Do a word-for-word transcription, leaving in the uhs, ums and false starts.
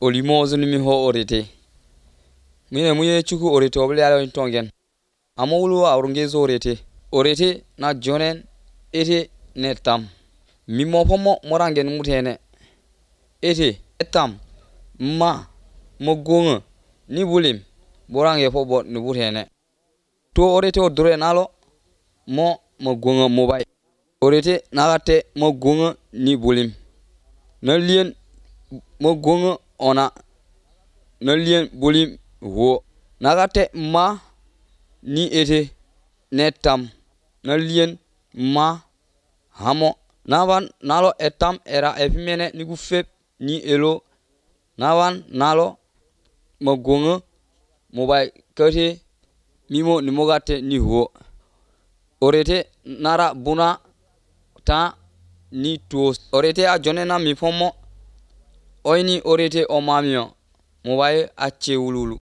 olimozo ni mi ho orete mine muye chuku orete obli ala tongen amowulu awrungezo orete orete na jonen ete netam mimo pomo morangen mutene ete etam ma mogonga ni bulim borange pobo ni butene to orete odure nalo mo mogonga mobile orete nagate mogonga ni bulim nalien mogonga ona nalien bulim wo nagate ma ni ete netam nalien ma hamo navan nalo etam era epimene nigu fep ni elo navan nalo mogonga mobile kate mimo ni mogate ni ho orete nara buna ta ni tos orete a jonena mi pomo oyni orete o mamio mobile a chewululu